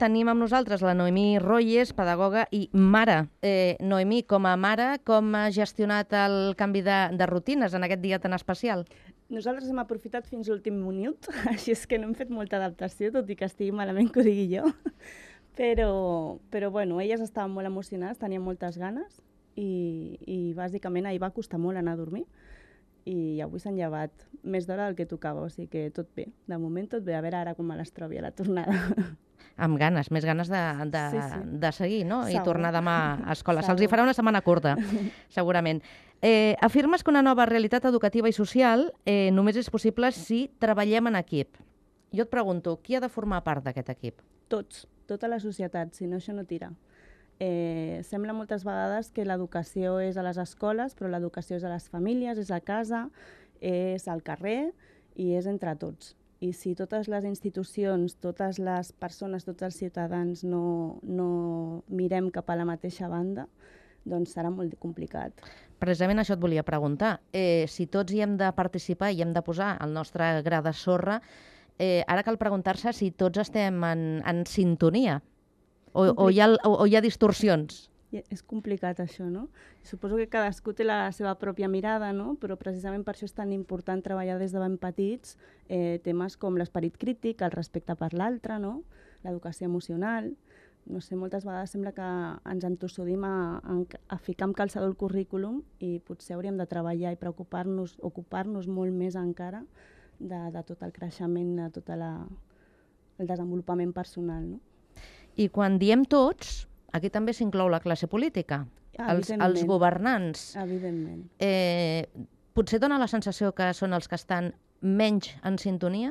tenim amb nosaltres la Noemí Royes, pedagoga i mare. Noemí, com a mare, com ha gestionat el canvi de rutines en aquest dia tan especial? Nosaltres hem aprofitat fins l'últim minut, així és que no hem fet molta adaptació, tot i que estigui malament que ho digui jo. Però bueno, elles estaven molt emocionades, tenien moltes ganes i bàsicament ahir va costar molt anar a dormir i avui s'han llevat més d'hora del que tocava, o sigui que tot bé. De moment tot bé, a veure ara com me les trobi a la tornada. Amb ganes, més ganes de seguir, no? Segur. I tornar demà a escola. Segur. Se'ls hi farà una setmana curta, segurament. Afirmes que una nova realitat educativa i social només és possible si treballem en equip. Jo et pregunto, qui ha de formar part d'aquest equip? Tots, tota la societat, si no això no tira. Sembla moltes vegades que l'educació és a les escoles, però l'educació és a les famílies, és a casa, és al carrer i és entre tots. I si totes les institucions, totes les persones, tots els ciutadans no mirem cap a la mateixa banda, doncs serà molt complicat. Precisament això et volia preguntar. Si tots hi hem de participar i hem de posar el nostre gra de sorra, ara cal preguntar-se si tots estem en sintonia o hi ha distorsions. És complicat això, no? Suposo que cadascú té la seva pròpia mirada, no? Però precisament per això és tan important treballar des de ben petits temes com l'esperit crític, el respecte per l'altre, no? L'educació emocional. No sé, moltes vegades sembla que ens entossudim a ficar amb calçador el currículum i potser hauríem de treballar i ocupar-nos molt més encara de tot el creixement, de tot el desenvolupament personal, no? I quan diem tots, aquí també s'inclou la classe política, els governants. Evidentment. Potser dona la sensació que són els que estan menys en sintonia?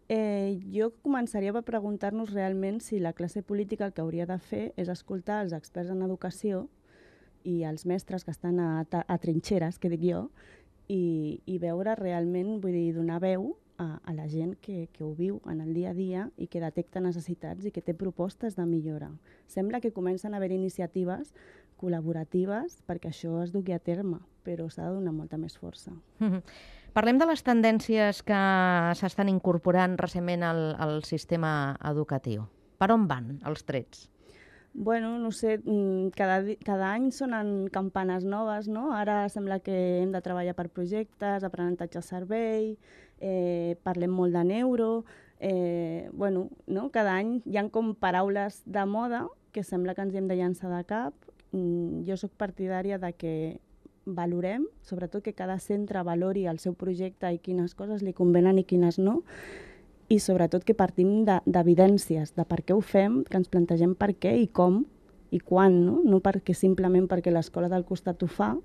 Jo començaria per preguntar-nos realment si la classe política el que hauria de fer és escoltar els experts en educació i els mestres que estan a trinxeres, que dic jo, i veure realment, vull dir, donar veu a la gent que ho viu en el dia a dia i que detecta necessitats i que té propostes de millora. Sembla que comencen a haver iniciatives col·laboratives perquè això es dugui a terme, però s'ha de donar molta més força. Parlem de les tendències que s'estan incorporant recentment al sistema educatiu. Per on van els trets? Bueno, no sé, cada any sonen campanes noves, no? Ara sembla que hem de treballar per projectes, aprenentatge servei, parlem molt de neuro, bueno, no? Cada any hi ha com paraules de moda que sembla que ens hi hem de llançar de cap. Jo sóc partidària de que valorem, sobretot que cada centre valori el seu projecte i quines coses li convenen i quines no, i sobretot que partim d'evidències, de per què ho fem, que ens plantegem per què i com i quan, no? No simplement perquè l'escola del costat ho fa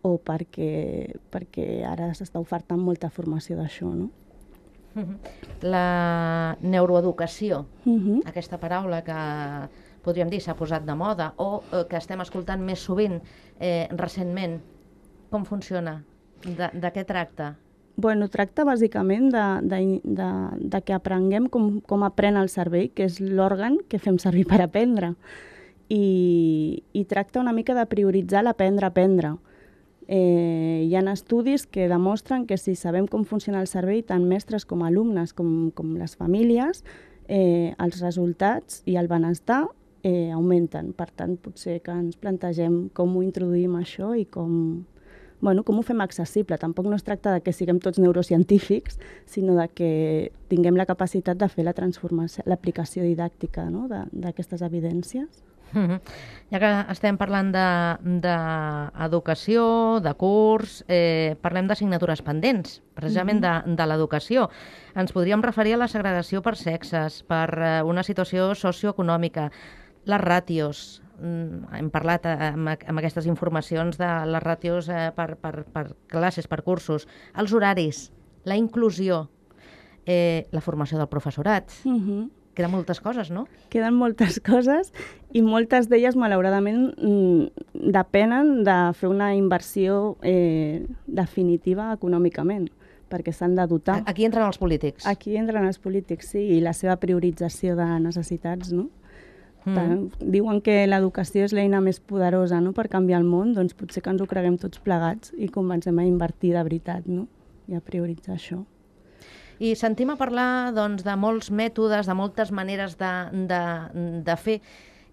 o perquè ara s'està ofertant molta formació d'això, no? La neuroeducació, aquesta paraula que podríem dir s'ha posat de moda o que estem escoltant més sovint recentment, com funciona? De què tracta? Bueno, tracta bàsicament de que aprenguem com aprèn el cervell, que és l'òrgan que fem servir per aprendre. I tracta una mica de prioritzar l'aprendre a aprendre. Hi ha estudis que demostren que si sabem com funciona el cervell, tant mestres com alumnes com les famílies, els resultats i el benestar augmenten. Per tant, potser que ens plantegem com ho introduïm això i com ho fem accessible. Tampoc no es tracta de que siguem tots neurocientífics, sinó de que tinguem la capacitat de fer la transformació, l'aplicació didàctica, no? D'aquestes evidències. Ja que estem parlant d'educació, de curs, parlem d'assignatures pendents, precisament de l'educació. Ens podríem referir a la segregació per sexes, per una situació socioeconòmica, les ràtios. Hem parlat amb aquestes informacions de les ràtios per classes, per cursos, els horaris, la inclusió, la formació del professorat. Queden moltes coses, no? Queden moltes coses i moltes d'elles, malauradament, depenen de fer una inversió definitiva econòmicament, perquè s'han de dotar. Aquí entren els polítics. Aquí entren els polítics, sí, i la seva priorització de necessitats, no? Diuen que l'educació és l'eina més poderosa, no?, per canviar el món, doncs potser que ens ho creguem tots plegats i comencem a invertir de veritat, no?, i a prioritzar això. I sentim a parlar doncs, de molts mètodes, de moltes maneres de fer,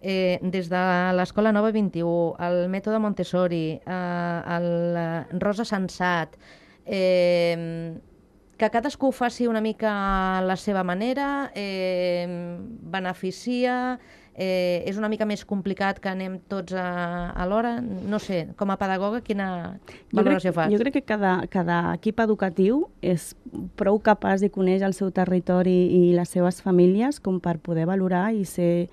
des de l'Escola Nova 21, el mètode Montessori, el Rosa Sensat, que cadascú ho faci una mica a la seva manera, beneficia, és una mica més complicat que anem tots alhora. No sé, com a pedagoga, quina valoració fas? Jo crec que cada equip educatiu és prou capaç i coneix el seu territori i les seves famílies com per poder valorar i ser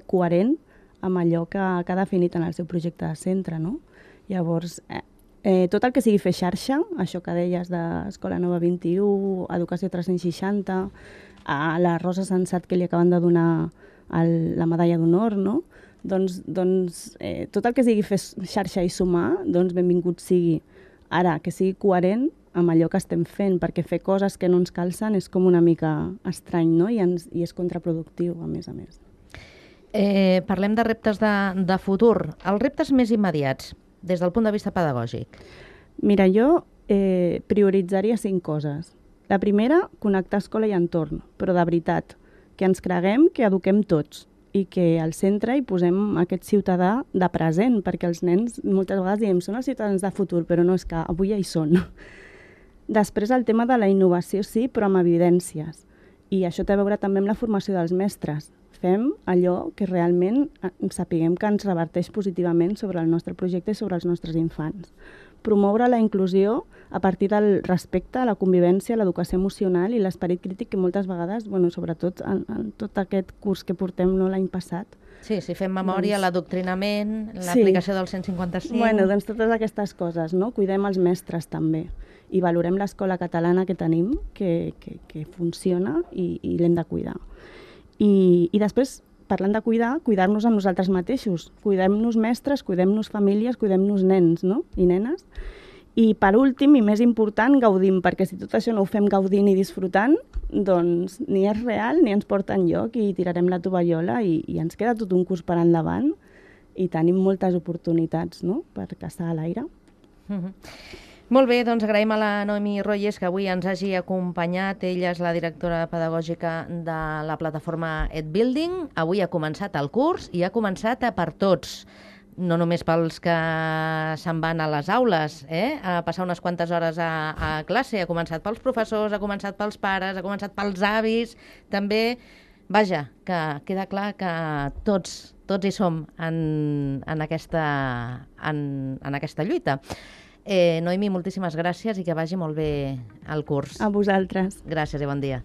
coherent amb allò que ha definit en el seu projecte de centre, no? Llavors, tot el que sigui fer xarxa, això que deies d'Escola Nova 21, Educació 360, a la Rosa Sensat que li acaben de donar la medalla d'honor, no? Doncs tot el que sigui fer xarxa i sumar, doncs benvingut sigui. Ara, que sigui coherent amb allò que estem fent, perquè fer coses que no ens calcen és com una mica estrany, no? I és contraproductiu, a més a més. Parlem de reptes de futur. Els reptes més immediats, des del punt de vista pedagògic. Mira, jo prioritzaria 5 coses. La primera, connectar escola i entorn, però de veritat, que ens creguem que eduquem tots i que al centre hi posem aquest ciutadà de present, perquè els nens moltes vegades diem són els ciutadans de futur, però no, és que avui ja hi són. Després el tema de la innovació sí, però amb evidències. I això té a veure també amb la formació dels mestres. Fem allò que realment sapiguem que ens reverteix positivament sobre el nostre projecte i sobre els nostres infants. Promoure la inclusió a partir del respecte a la convivència, l'educació emocional i l'esperit crític que moltes vegades, sobretot en tot aquest curs que portem l'any passat. Sí, si fem memòria, l'adoctrinament, l'aplicació del 155... Doncs totes aquestes coses, no? Cuidem els mestres també i valorem l'escola catalana que tenim, que funciona i l'hem de cuidar. I després, parlant de cuidar-nos a nosaltres mateixos. Cuidem-nos mestres, cuidem-nos famílies, cuidem-nos nens, no? I nenes. I per últim, i més important, gaudim, perquè si tot això no ho fem gaudint i disfrutant, doncs ni és real ni ens porta enlloc i tirarem la tovallola i ens queda tot un curs per endavant i tenim moltes oportunitats, no?, per caçar a l'aire. Molt bé, doncs agraïm a la Noemi Royes que avui ens hagi acompanyat. Ella és la directora pedagògica de la plataforma EdBuilding. Avui ha començat el curs i ha començat per tots. No només pels que se'n van a les aules, a passar unes quantes hores a classe. Ha començat pels professors, ha començat pels pares, ha començat pels avis. També, vaja, que queda clar que tots hi som en aquesta lluita. Noemi, moltíssimes gràcies i que vagi molt bé el curs. A vosaltres. Gràcies i bon dia.